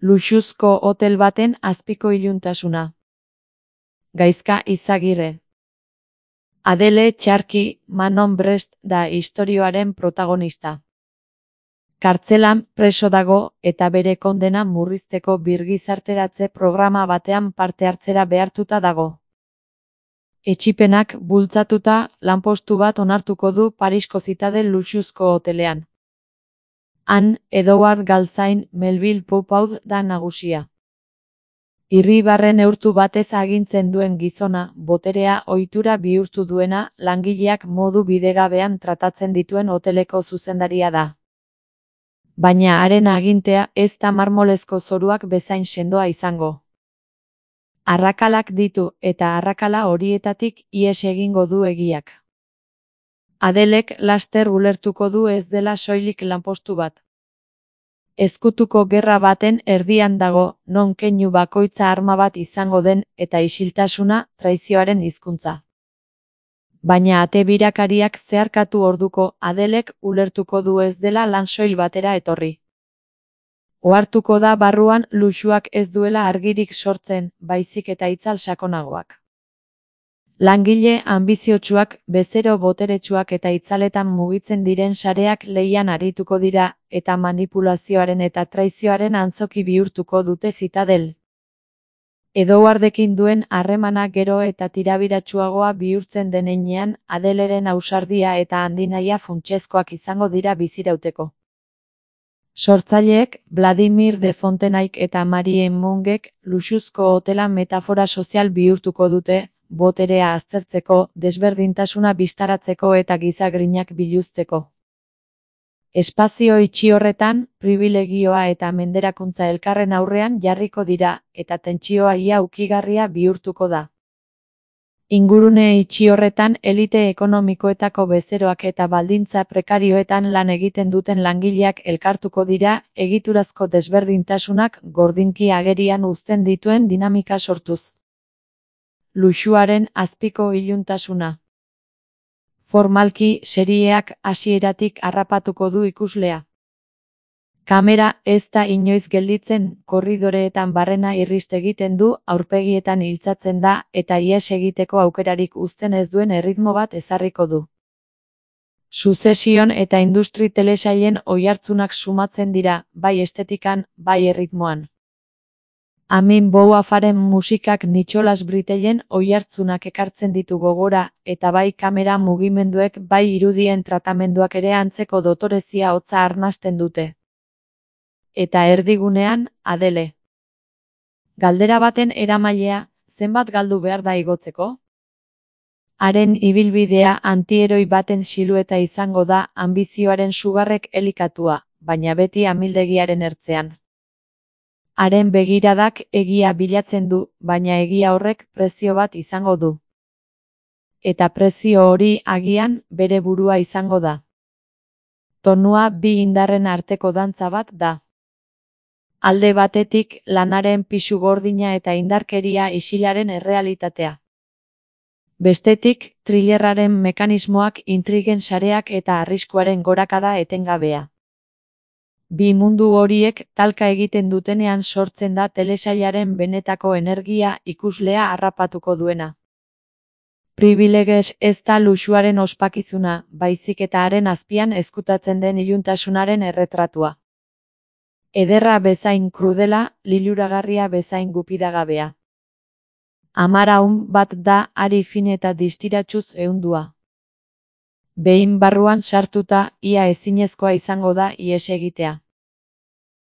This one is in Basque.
Luxuzko hotel baten azpiko iluntasuna. Gaizka Izagirre. Adele Txarki Manon Brest da istorioaren protagonista. Kartzelan preso dago eta bere kondena murrizteko birgizarteratze programa batean parte hartzera behartuta dago. Etsipenak bultzatuta lanpostu bat onartuko du Parisko Zitadel luxuzko hotelean. Han, Edouard Galtzain Melville Poupaud da nagusia. Irribarre neurtu batez agintzen duen gizona, boterea ohitura bihurtu duena, langileak modu bidegabean tratatzen dituen hoteleko zuzendaria da. Baina haren agintea ez da marmolezko zoruak bezain sendoa izango. Arrakalak ditu eta arrakala horietatik ihes egingo du egiak. Adelek laster ulertuko du ez dela soilik lanpostu bat. Ezkutuko gerra baten erdian dago, non keinu bakoitza arma bat izango den eta isiltasuna traizioaren hizkuntza. Baina ate birakariak zeharkatu orduko Adelek ulertuko du ez dela lan soil batera etorri. Ohartuko da barruan luxuak ez duela argirik sortzen, baizik eta itzal sakonagoak. Langile anbiziotsuak, bezero boteretsuak eta itzaletan mugitzen diren sareak lehian arituko dira, eta manipulazioaren eta traizioaren antzoki bihurtuko dute Zitadel. Edouardekin duen harremana gero eta tirabiratsuagoa bihurtzen den heinean, Adeleren ausardia eta handinahia funtsezkoak izango dira bizirauteko. Sortzaileek, Vladimir de Fontenaik eta Marie Mungek, luxuzko hotela metafora sozial bihurtuko dute, boterea aztertzeko, desberdintasuna bistaratzeko eta gizagrinak biluzteko. Espazio itxi horretan, pribilegioa eta menderakuntza elkarren aurrean jarriko dira, eta tentsioa ia ukigarria bihurtuko da. Ingurune itxi horretan elite ekonomikoetako bezeroak eta baldintza prekarioetan lan egiten duten langileak elkartuko dira, egiturazko desberdintasunak gordinki agerian uzten dituen dinamika sortuz. Luxuaren azpiko iluntasuna. Formalki, serieak hasieratik harrapatuko du ikuslea. Kamera ez da inoiz gelditzen, korridoreetan barrena irrist egiten du, aurpegietan iltzatzen da, eta ihes egiteko aukerarik uzten ez duen erritmo bat ezarriko du. Suzesion eta industri telesailen oihartzunak sumatzen dira, bai estetikan, bai erritmoan. Amin Bouafaren musikak Nicholas Britellen oihartzunak ekartzen ditu gogora, eta bai kamera mugimenduek bai irudien tratamenduak ere antzeko dotorezia hotza arnasten dute. Eta erdigunean, Adele. Galdera baten eramailea, zenbat galdu behar da igotzeko? Haren ibilbidea antieroi baten silueta izango da anbizioaren sugarrek elikatua, baina beti amildegiaren ertzean. Haren begiradak egia bilatzen du, baina egia horrek prezio bat izango du. Eta prezio hori agian bere burua izango da. Tonua bi indarren arteko dantza bat da. Alde batetik lanaren pisu gordina eta indarkeria isilaren errealitatea. Bestetik, thrillerraren mekanismoak, intrigen sareak eta arriskuaren gorakada etengabea. Bi mundu horiek talka egiten dutenean sortzen da telesailaren benetako energia ikuslea harrapatuko duena. Privilegez ez da luxuaren ospakizuna, baizik eta haren azpian ezkutatzen den iluntasunaren erretratua. Ederra bezain krudela, liluragarria bezain gupidagabea. Amaraun bat da ari fin eta distiratsuz ehundua. Behin barruan sartuta, ia ezinezkoa izango da ihes egitea.